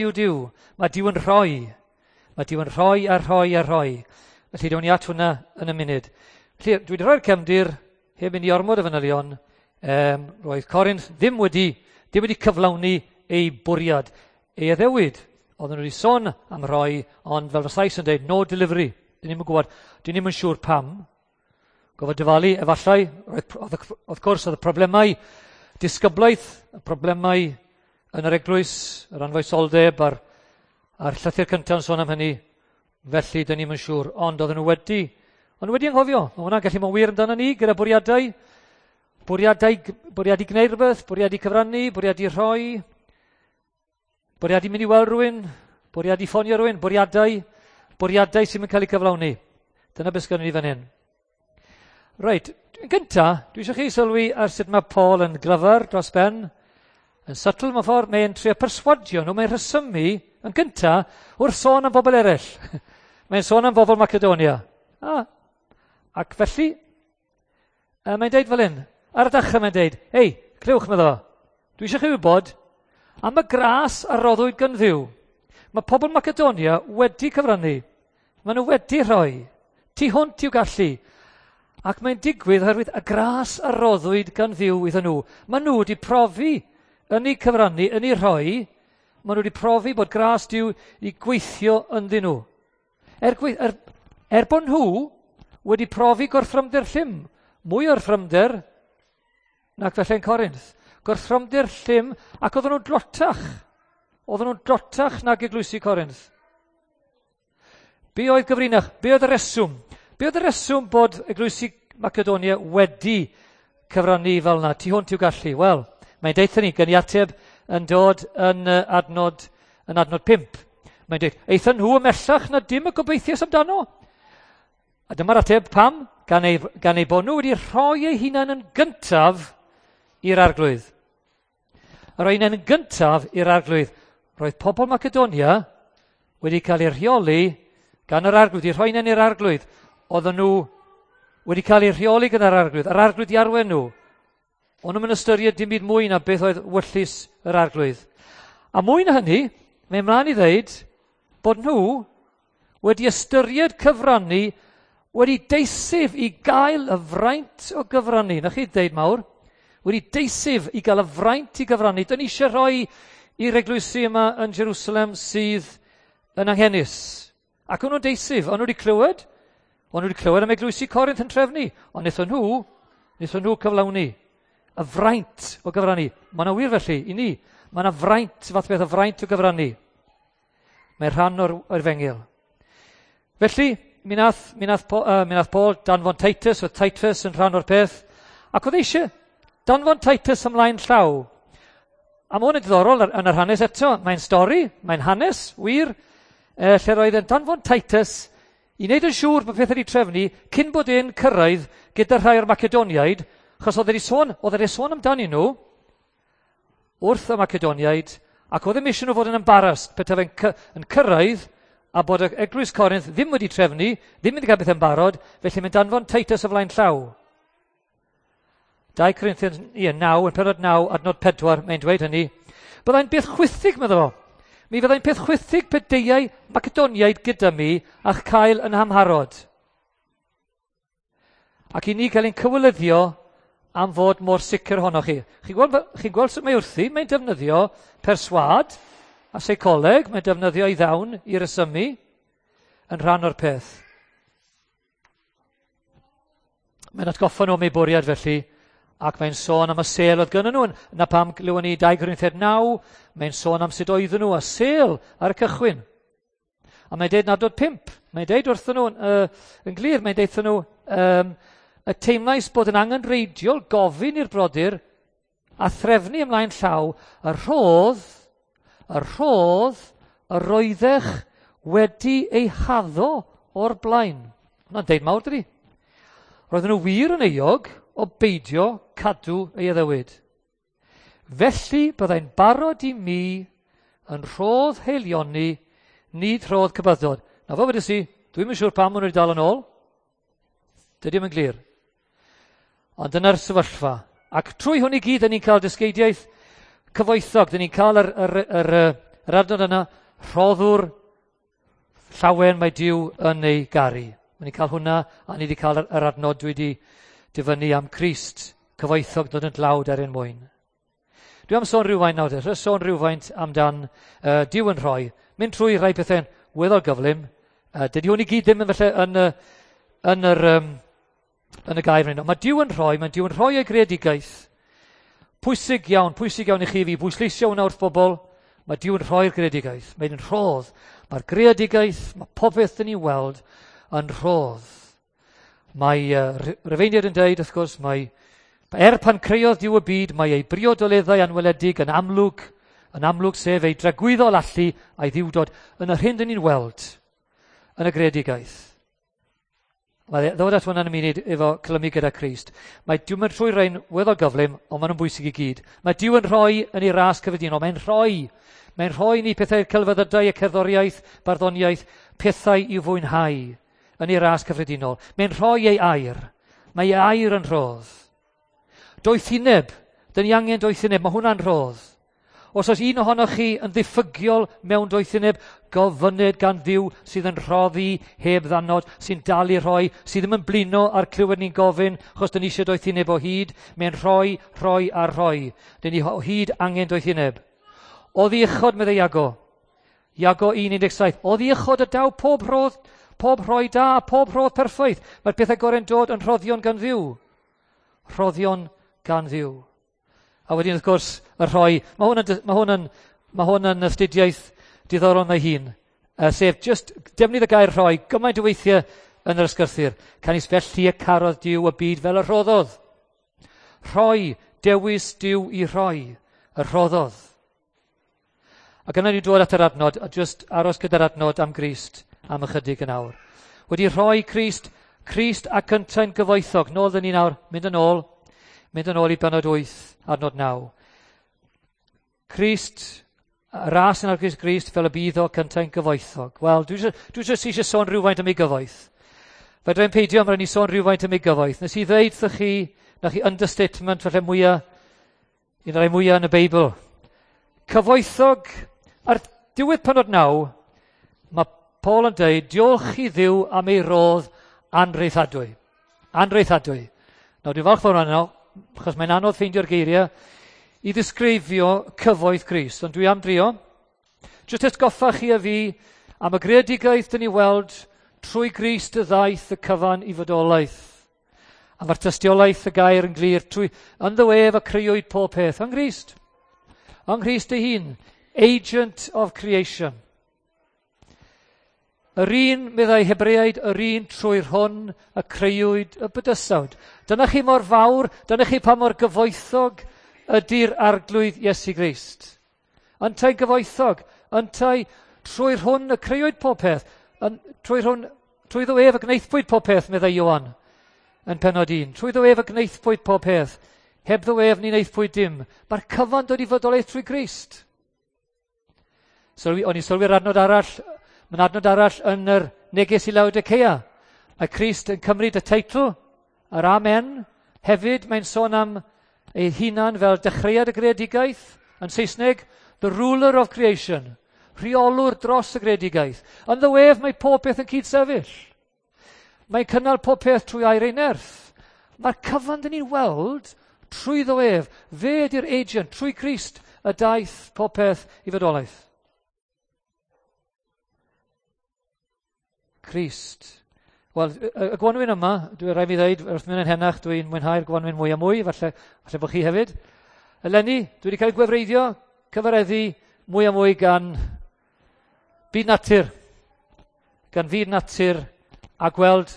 yw Duw. Mae Duw yn rhoi. Mae Duw yn rhoi a rhoi a rhoi. Felly, down ni at hwnna yn y munud. Felly, dwi wedi rhoi'r cefndir, heb mynd i ormod o fanylion. Roedd Corinth ddim wedi cyflawni ei bwriad. Ei addewid. Oedden nhw wedi sôn am rhoi, ond fel y Sais yn dweud, no delivery. Dyn ni'n gwybod, dyn ni'n siŵr pam. Gofod dyfalu, efallai, roedd, wrth gwrs, oedd y problemau disgyblaeth, y problemau yn yr eglwys, yr anfoesoldeb a'r llythyr cyntaf yn sôn am hynny. Felly, dyn ni'n siŵr. Ond oedden nhw wedi anghofio. Mae hwnna'n gallu bod wir amdano ni gyda bwriadau. Bwriadau, bwriadu gwneud rhywbeth, bwriadu cyfrannu, bwriadu rhoi, bwriadu mynd i weld rhywun, bwriadu ffonio rhywun, bwriadau, bwriadau sy'n cael eu cyflawni. Dyna beth sgynnon ni fan hyn. Reit, yn gynta, dwi eisiau chi sylwi ar sut mae Paul yn glyfar dros ben, yn subtle mewn ffordd, mae'n trio perswadio nhw, mae'n rhesymu yn gynta wrth sôn am bobl eraill. Mae'n sôn am bobl Macedonia. Ac felly, mae'n deud fel hyn, ar y dechrau mae'n deud, "Hei, clywch," meddo, "dwi eisiau chi wybod am y gras a roddwyd gan Dduw. Mae pobl Macedonia wedi cyfrannu. Maen nhw wedi rhoi. Tu hwnt i'w gallu. Ac mae'n digwydd oherwydd y gras a roddwyd gan Dduw iddyn nhw. Maen nhw wedi profi yn eu cyfrannu, yn eu rhoi, maen nhw wedi profi bod gras Duw i gweithio ynddyn nhw. Er bod nhw wedi profi gorthrymder llym, mwy o'r thrymder nac felly yn Corinth. Gorthrymder llym, ac oedden nhw'n dlotach. Oedden nhw'n dlotach nag eglwysi Corinth. Be oedd gyfrinach? Be oedd y reswm? Be oedd y reswm bod eglwysi Macedonia wedi cyfrannu fel yna, tu hwnt i'w gallu? Wel, mae'n deutha ni, gen i ateb yn dod yn adnod 5. Mae'n dweud, "Aethon nhw ymhellach na dim y gobeithiais amdano." A dyma'r ateb pam, gan eu bod nhw wedi rhoi eu hunain yn gyntaf i'r Arglwydd. Rhoi hunain yn gyntaf i'r Arglwydd. Roedd pobl Macedonia wedi cael eu rheoli gan yr Arglwydd, i rhoi hunain i'r Arglwydd. Oedden nhw wedi cael eu rheoli gan yr Arglwydd, yr Arglwydd i arwain nhw. O'n nhw'n ystyried dim byd mwy na beth oedd ewyllys yr Arglwydd. A mwy na hynny, mae'n mlaen i ddeud bod nhw wedi ystyried cyfrannu, wedi deisyf i gael y fraint o gyfrannu. Na chi ddeud mawr? Wedi deisyf i gael y fraint i gyfrannu. Dyn ni eisiau rhoi i'r eglwysi yma yn Jerusalem sydd yn anghenus. Ac o'n nhw'n deisyf, o'n nhw wedi clywed, o'n nhw wedi clywed am eglwysi Corinth yn trefnu, ond wnaethon nhw cyflawni y fraint o gyfrannu. Mae yna wir felly, i ni, mae yna fraint, fath beth o fraint o gyfrannu. Mae'n rhan o'r efengyl. Felly, mi nath Paul danfon Titus, oedd Titus yn rhan o'r peth, ac oedd eisiau danfon Titus ymlaen llaw. A mae hwn yn diddorol yn yr hanes eto. Mae'n stori, mae'n hanes, wir, lle roedd yn danfon Titus i wneud yn siŵr bod pethau wedi trefnu cyn bod e'n cyrraedd gyda rhai o'r Macedoniaid, achos oedd wedi sôn amdanyn nhw wrth y Macedoniaid, ac oedd ddim eisiau nhw fod yn embarrassed petai fe'n yn cyrraedd a bod y eglwys Corinth ddim wedi trefnu, ddim wedi cael beth yn barod, felly mae'n danfon Titus o flaen llaw. 2 Corinthians, ie, 9, yn penod 9, adnod 4, mae'n dweud hynny. "Byddai'n beth chwithig," meddo fo. "Mi fyddai'n peth chwithig pe deuai Macedoniaid gyda mi a'ch cael yn amharod. Ac i ni gael ein cywilyddio am fod mor sicr ohonoch chi." Chi'n gweld sut mae wrthi? Mae'n defnyddio perswâd a seicoleg, mae'n defnyddio ei ddawn i resymu yn rhan o'r peth. Mae'n atgoffa nhw am ei bwriad felly, ac mae'n sôn am y sêl oedd gyda nhw. Na pam glywon ni 2 Corinthiaid 9, mae'n sôn am sut oedden nhw a sêl ar y cychwyn. A mae'n deud yn adnod 5, mae'n deud wrthyn nhw yn glir, mae'n deud nhw, "Y teimlais bod yn angenrheidiol gofyn i'r brodyr a threfnu ymlaen llaw y rhodd yr oeddech wedi ei haddo o'r blaen." Hwna'n deud mawr, dydi? Roedden nhw wir yn euog o beidio cadw ei addewid. "Felly byddai'n barod i mi yn rhodd haelioni, nid rhodd cybyddod." Na fo wedes i, dwi'n yn siŵr pam maen nhw wedi dal yn ôl. Dydy yn glir. Ond dyna'r sefyllfa. Ac trwy hwn i gyd, dyn ni'n cael dysgeidiaeth cyfoethog. Dyn ni'n cael yr yr adnod yna, rhoddwr llawen mae Duw yn ei garu. Mae ni'n cael hwnna, a ni wedi cael yr adnod dwi wedi dyfynnu am Crist, cyfoethog dod yn dlawd er ein mwyn. Dwi am sôn rhywfaint nawr, te, sôn rhywfaint amdan Duw yn rhoi. Mynd trwy rhai pethau'n weddol gyflym. Dydy hwn i gyd ddim yn falle yn y gair fan. Mae Duw yn rhoi, mae Duw yn rhoi ei greadigaeth. Pwysig iawn i chi fi, bwysleisio hwnna wrth bobl. Mae Duw yn rhoi'r greadigaeth. Mae'n rhodd. Mae'r greadigaeth, mae popeth dyn ni weld yn rhodd. Mae Rufeiniaid yn dweud, wrth gwrs, mae pan creodd Duw y byd, mae ei briodoleddau anweledig yn amlwg sef ei dragwyddol allu a'i ddiwdod yn yr hyn dyn ni'n weld yn y greadigaeth. Mae ddod at hwnna yn y munud efo clymu gyda Crist. Mae Duw yn trwy rhain weddol gyflym, ond maen nhw'n bwysig i gyd. Mae Duw yn rhoi yn ei ras cyffredinol. Mae'n rhoi. Mae'n rhoi ni pethau celfyddydau, y cerddoriaeth, barddoniaeth, pethau i'w fwynhau yn ei ras cyffredinol. Mae'n rhoi ei air. Mae ei air yn rhodd. Doethineb. Dyn ni angen doethineb. Mae hwnna'n rhodd. Os oes un ohonoch chi yn ddiffygiol mewn doethineb, gofynned gan Dduw sydd yn rhoddi heb ddannod, sy'n dal i rhoi, sydd ddim yn blino ar clywed ni'n gofyn, achos dyn ni eisiau doethineb o hyd. Mae'n rhoi, rhoi a rhoi. Dyn ni o hyd angen doethineb. Oddi uchod, meddai Iago. Iago 1:17. Oddi uchod y daw pob rhodd, pob rhoi da, pob rhodd perffaith. Mae'r pethau gorau'n dod yn rhoddion gan Dduw. Rhoddion gan Dduw. A wedyn, wrth gwrs, y rhoi. Mae hwn yn astudiaeth diddorol ei hun. Sef just defnydd y gair rhoi gymaint o weithiau yn yr ysgrythur. Canys felly y carodd Duw y byd fel y rhoddodd. Rhoi, dewis Duw i rhoi, y rhoddodd. Ac yna ni'n dod at yr adnod, a just aros gyda'r adnod am Grist am ychydig yn awr. Wedi rhoi Crist, Crist ac yntau'n gyfoethog. Nôl dyn ni nawr, mynd yn ôl i bennod 8, adnod 9. Crist, ras yn arglwydd Grist fel y bydd o cyntau'n gyfoethog. Wel, dwi jyst eisiau sôn rhywfaint am ei gyfoeth. Fedra i'n peidio, mae'n rhaid ni sôn rhywfaint am ei gyfoeth. Nes i ddeud wrthych chi, na chi understatement falle mwyaf, un o'r rhai mwyaf yn y Beibl. Cyfoethog, ar diwedd pennod 9, mae Paul yn dweud, diolch i Dduw am ei rodd anreithadwy. Anreithadwy. Nawr, dwi'n falch fawr yno, achos mae'n anodd ffeindio'r geiriau i ddisgrifio cyfoeth Crist, ond dwi am drio. Jyst atgoffa chi a fi am y greadigaeth dyn ni weld trwy Grist y ddaeth y cyfan i fodolaeth. A mae'r tystiolaeth y gair yn glir trwy ynddo ef y crëwyd pob peth. Yng Nghrist. Yng Nghrist ei hun. Agent of creation. Yr un, meddai Hebreaid, yr un trwy'r hwn y crëwyd y bydysawd. Dyna chi mor fawr, dyna chi pa mor gyfoethog ydy'r arglwydd Iesu Grist. Yntau gyfoethog, yntau trwy'r hwn y crëwyd pob peth, trwy'r hwn, trwyddo ef y gwnaethpwyd pob peth, meddai Ioan yn pennod 1. Trwyddo ef y gwnaethpwyd pob peth, hebddo ef ni wnaethpwyd dim. Mae'r cyfan dod i fodolaeth trwy Grist. O'n i'n sylwi'r adnod arall, mae'n adnod arall yn yr neges i Laodicea. Mae Crist yn cymryd y teitl, yr Amen. Hefyd mae'n sôn am ei hunan fel dechreuad y greadigaeth, yn Saesneg, the ruler of creation, rheolwr dros y greadigaeth. Ynddo ef mae pob peth yn cydsefyll. Mae'n cynnal pob peth trwy air ei nerth. Mae'r cyfan dyn ni'n weld trwyddo ef. Fe ydy'r agent, trwy Crist, y daeth pob peth i fodolaeth. Crist. Wel, y gwanwyn yma, dwi'n rhaid mi ddweud, wrth mynd yn henach, dwi'n mwynhau'r gwanwyn mwy a mwy, falle bod chi hefyd. Eleni, dwi wedi cael gwefreiddio, cyfareddu mwy a mwy gan byd natur. Gan fyd natur a gweld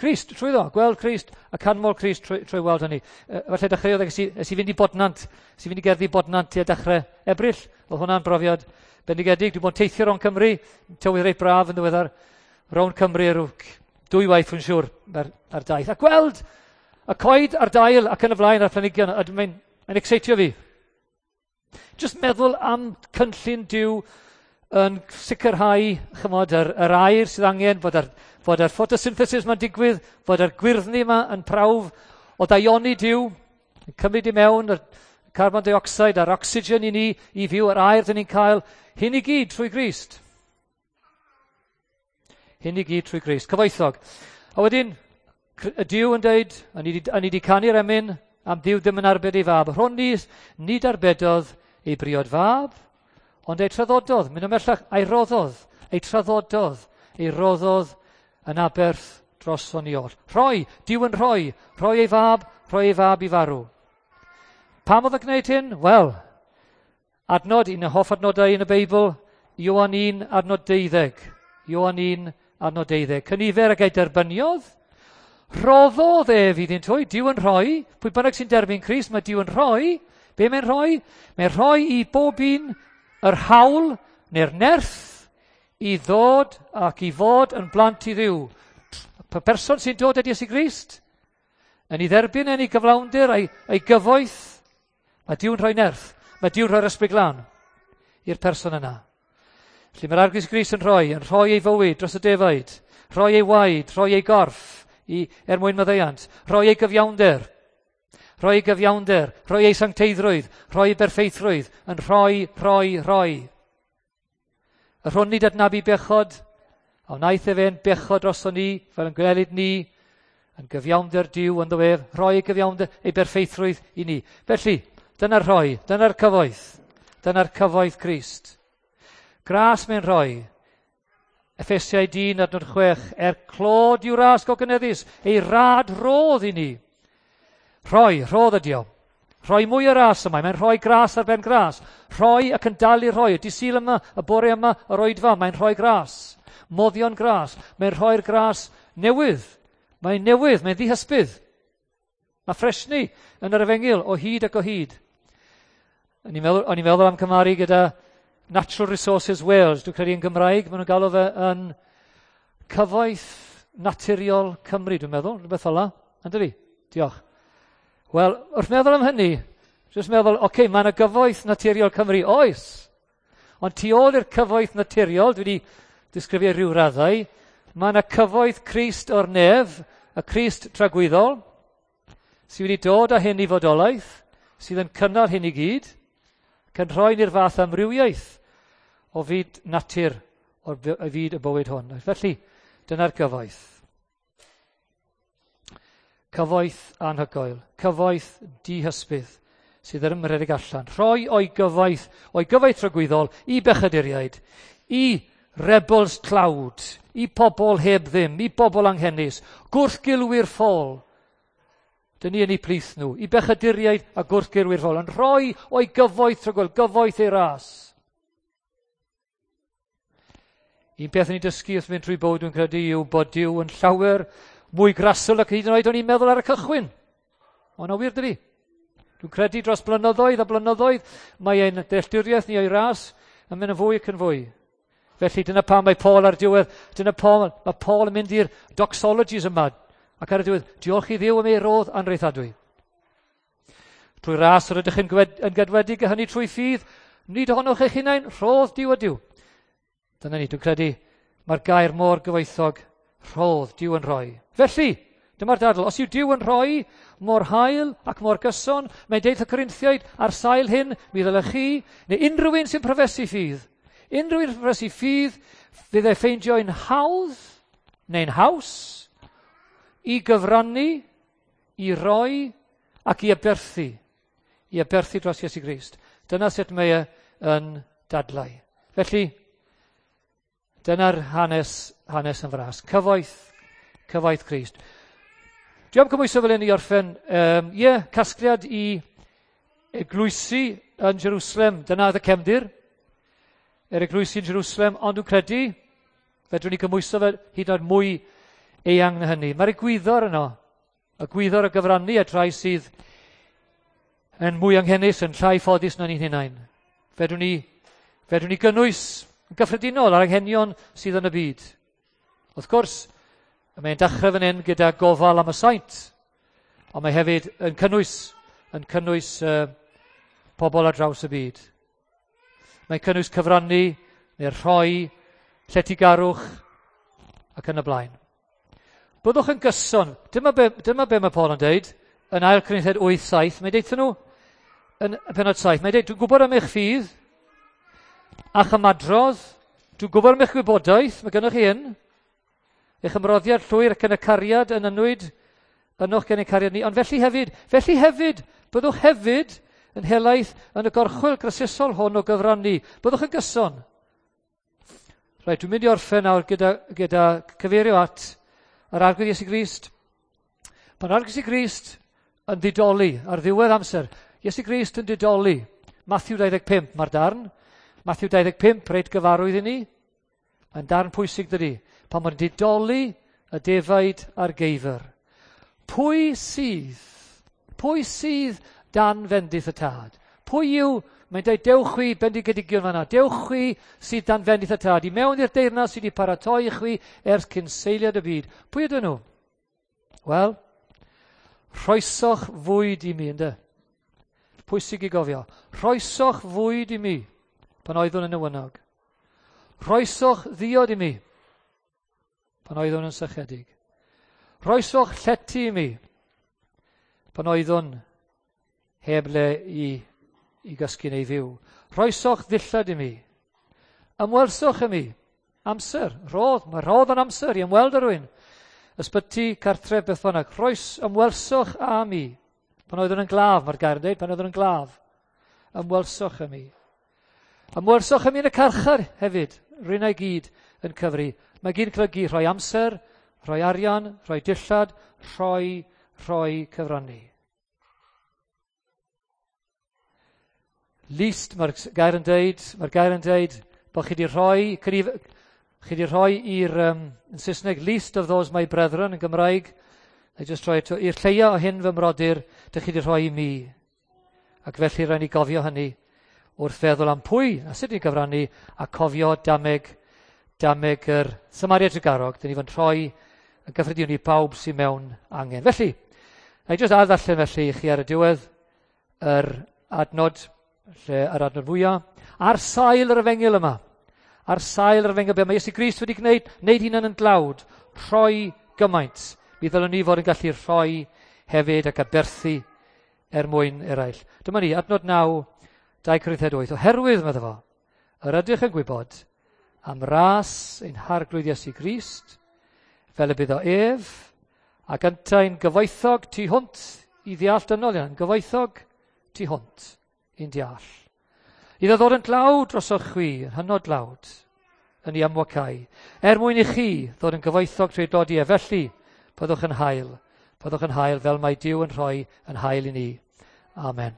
Crist trwyddo, gweld Crist a canmol Crist trwy weld hynny. Falle dechreuodd es i fynd i Bodnant, es i fynd i gerddi Bodnant tua dechrau Ebrill. Oedd hwnna'n brofiad bendigedig. Dwi'n bod yn teithio rownd Cymru, tywydd reit braf yn ddiweddar, rownd Cymru rhyw dwy waith yn siŵr ar daith. A gweld y coed a'r dail ac yn y flaen a'r planhigion, a mae'n excitio fi. Just meddwl am cynllun Duw yn sicrhau, chymod, yr air sydd angen, fod yr photosynthesis ma'n digwydd, fod yr gwyrddni yma yn prawf o daioni Duw, yn cymryd i mewn, Carbon dioxide a'r oxygen i ni i fyw, yr aer dyn ni'n cael, hyn i gyd trwy Grist. Hyn i gyd trwy Grist. Cyfoethog. A wedyn, y Duw yn deud, a ni wedi canu'r emyn, am Dduw ddim yn arbed ei fab. Rhwn ni, nid arbedodd ei briod fab, ond ei traddododd, mynd ymhellach, a'i roddodd, ei traddododd, ei roddodd yn aberth droson ni oll. Rhoi, Duw yn rhoi, rhoi ei fab, rhoi ei fab i farw. Pam oedd yn gwneud hyn? Wel, adnod, un o hoff adnodau yn y Beibl, Ioan 1, adnod 12. Ioan 1, adnod 12. Cynifer ag ei derbyniodd, rhoddodd ef iddynt hwy, Duw yn rhoi, pwy bynnag sy'n derbyn Crist, mae Duw yn rhoi. Be mae'n rhoi? Mae'n rhoi i bob un yr hawl neu'r nerth i ddod ac i fod yn blant i Dduw. Y person sy'n dod at Iesu Grist, yn ei dderbyn yn ei gyflawnder a'i, a'i gyfoeth, mae Duw'n rhoi nerth, mae Duw'n rhoi'r ysbryd glân i'r person yna. Felly mae'r Arglwydd Grist yn rhoi, yn rhoi ei fywyd dros y defaid, rhoi ei waed, rhoi ei gorff i, er mwyn maddeuant, rhoi ei gyfiawnder, rhoi ei gyfiawnder, rhoi ei sancteiddrwydd, rhoi ei berffeithrwydd, yn rhoi, rhoi, rhoi. Y rhwn nid adnabu bechod, a wnaeth e fe'n bechod droson ni, fel yn gwelid ni, yn gyfiawnder Duw ynddo fe, rhoi ei gyfiawnder, ei berffeithrwydd i ni. Felly, dyna'r rhoi, dyna'r cyfoeth, dyna'r cyfoeth Crist. Gras mae'n rhoi. Effesiau 1 adnod 6, er clod i'w ras gogyneddus, ei rad rodd i ni. Rhoi, rhodd ydi o. Rhoi mwy o ras yma, mae'n rhoi gras ar ben gras. Rhoi ac yn dal i rhoi. Y dydd yma, y bore yma, yr oedfa, mae'n rhoi gras. Moddion gras. Mae'n rhoi'r gras newydd. Mae'n newydd, mae'n ddihysbydd. Mae ffresni yn yr efengyl o hyd ac o hyd. O'n i'n meddwl, o'n i'n meddwl am cymharu gyda Natural Resources Wales, dwi'n credu yn Gymraeg, maen nhw'n galw fe yn Cyfoeth Naturiol Cymru, dwi'n meddwl, rhywbeth fel 'na. Ynddo fi? Diolch. Wel, wrth meddwl am hynny, jyst meddwl, oce, okay, mae yna Gyfoeth Naturiol Cymru, oes. Ond tu ôl i'r cyfoeth naturiol, dwi wedi disgrifio rhyw raddau, mae yna cyfoeth Crist o'r nef, y Crist tragwyddol, sydd wedi dod â hyn i fodolaeth, sydd yn cynnal hyn i gyd, ac yn rhoi ni'r fath amrywiaeth o fyd natur o'r fyd y bywyd hwn. Felly, dyna'r cyfoeth. Cyfoeth anhygoel, cyfoeth dihysbydd sydd yn ymredeg allan. Rhoi o'i gyfoeth, o'i gyfoeth tragwyddol i bechaduriaid, i rebels tlawd, i pobl heb ddim, i bobl anghenus, gwrthgilwyr ffôl. Dyn ni yn eu plith nhw, i bechaduriaid a gwrthgilwyr ffôl, yn rhoi o'i gyfoeth tragwyddol, gyfoeth ei ras. Un peth yn ei dysgu wrth mynd trwy bywyd dwi'n credu yw bod Duw yn llawer mwy grasol ac hyd yn oed o'n i'n meddwl ar y cychwyn. Ond o wir dydi. Dwi'n credu dros blynyddoedd a blynyddoedd mae ein dealltwriaeth ni o'i ras yn mynd yn fwy ac yn fwy. Felly dyna pam mae Paul ar diwedd, dyna pam mae Paul yn mynd i'r doxologies yma ac ar y diwedd, diolch i Dduw am ei rodd anreithadwy. Trwy ras yr ydych yn, yn gadwedig a hynny trwy ffydd, nid ohonoch eich hunain, rhodd Duw ydyw. Dyna ni, dwi'n credu, mae'r gair mor gyfoethog, rhodd, Duw yn rhoi. Felly, dyma'r dadl, os yw Duw yn rhoi mor hael ac mor gyson, mae'n deud y Corinthiaid, ar sail hyn, mi ddylech chi, neu unrhyw un sy'n profesu ffydd, unrhyw un sy'n profesu ffydd, fydd ei ffeindio'n hawdd, neu'n haws, i gyfrannu, i roi ac i aberthu, i aberthu dros Iesu Grist. Dyna sut mae e yn dadlau. Felly, dyna'r hanes, hanes yn fras. Cyfoeth, cyfoeth Crist. Dwi am cymhwyso fel hyn i orffen. Ie, yeah, casgliad i eglwysi yn Jerusalem. Dyna oedd y cefndir. Yr eglwysi yn Jerusalem, ond dwi'n credu, fedrwn ni gymhwyso fe hyd yn oed mwy eang na hynny. Mae'r egwyddor yno, y gwyddor o gyfrannu at rai sydd yn mwy anghenus, yn llai ffodus na ni'n hunain. Fedrwn ni, fedrwn ni gynnwys yn gyffredinol ar anghenion sydd yn y byd. Wrth gwrs, mae'n dechrau fan hyn gyda gofal am y saint, ond mae hefyd yn cynnwys, yn cynnwys pobl ar draws y byd. Mae'n cynnwys cyfrannu, neu rhoi, lletygarwch, ac yn y blaen. Byddwch yn gyson. Dyma be, dyma be mae Paul yn deud yn 2 Corinthiaid 8:7. Mae'n deud nhw, yn y penod 7. Mae'n dweud, dwi'n gwybod am eich ffydd a'ch ymadrodd, dwi'n gwybod am eich gwybodaeth, mae gennych chi hyn, eich ymroddiad llwyr ac yn y cariad yn ynwyd, ynoch gen y cariad ni. Ond felly hefyd, byddwch hefyd yn helaeth yn y gorchwyl grasusol hwn o gyfrannu. Byddwch yn gyson. Rhaid, dwi'n mynd i orffen nawr gyda cyfeirio at yr Arglwydd Iesu Grist. Pan Arglwydd Iesu Grist yn didoli ar ddiwedd amser, Iesu Grist yn didoli. Matthew 25 mae'r darn. Matthew 25, reit gyfarwydd i ni. Mae'n darn pwysig dydy. Pan mae'n didoli y defaid a'r geifr. Pwy sydd dan fendith y tad? Pwy yw, mae'n dweud, dewch chwi bendigedigion fanna, dewch chwi sydd dan fendith y tad, i mewn i'r deyrnas sydd wedi paratoi i chwi ers cyn seiliad y byd. Pwy ydyn nhw? Wel, rhoesoch fwyd i mi, ynddo? Pwysig i gofio. Rhoesoch fwyd i mi pan oeddwn yn newynog. Rhoesoch ddiod i mi pan oeddwn yn sychedig. Rhoesoch llety i mi pan oeddwn heb le i gysgu neu fyw. Rhoesoch ddillad i mi. Ymwelsoch i mi. Amser. Rhodd. Mae rhodd yn amser i ymweld â rhywun. Ysbyty, cartref, beth bynnag. Ymwelsoch â mi. Pan oeddwn yn glaf, mae'r gair yn dweud, pan oeddwn yn glaf. Ymwelsoch â mi. Ymwelsoch â mi yn y carchar hefyd. Rwy'n ei gyd yn cyfri. Mae gyd yn golygu rhoi amser, rhoi arian, rhoi dillad, rhoi cyfrannu. Least, mae'r gair yn deud, bod chi wedi rhoi, chi wedi rhoi i'r, yn Saesneg, least of those my brethren yn Gymraeg, I just rhoi eto, i'r lleia o hyn fy mrodyr, dych chi wedi rhoi i mi. Ac felly rhaid ni gofio hynny wrth feddwl am pwy a sut ni'n gyfrannu a cofio dameg yr Samaria Trugarog, dyn ni fod yn rhoi yn gyffredinol i bawb sydd mewn angen. Felly, na i just addarllen felly i chi ar y diwedd yr adnod, lle yr adnod fwyaf, ar sail yr efengyl yma, ar sail yr efengyl, be mae Iesu Grist wedi gwneud, wneud hunan yn dlawd, rhoi gymaint. Mi ddylwn ni fod yn gallu rhoi hefyd ac aberthu er mwyn eraill. Dyma ni, adnod 9, 2 Corinthiaid 8. Oherwydd, medda fo, yr ydych yn gwybod am ras ein Harglwydd Iesu Grist, fel y bydd o ef, ac yntau'n gyfoethog tu hwnt i ddeall dynol, yn gyfoethog tu hwnt i'n deall. Iddo ddod yn dlawd drosoch chwi, yn hynod dlawd, yn ei amwacau, er mwyn i chi ddod yn gyfoethog trwy dlodi e. Felly, byddwch yn hael fel mae Duw yn rhoi yn hael i ni. Amen.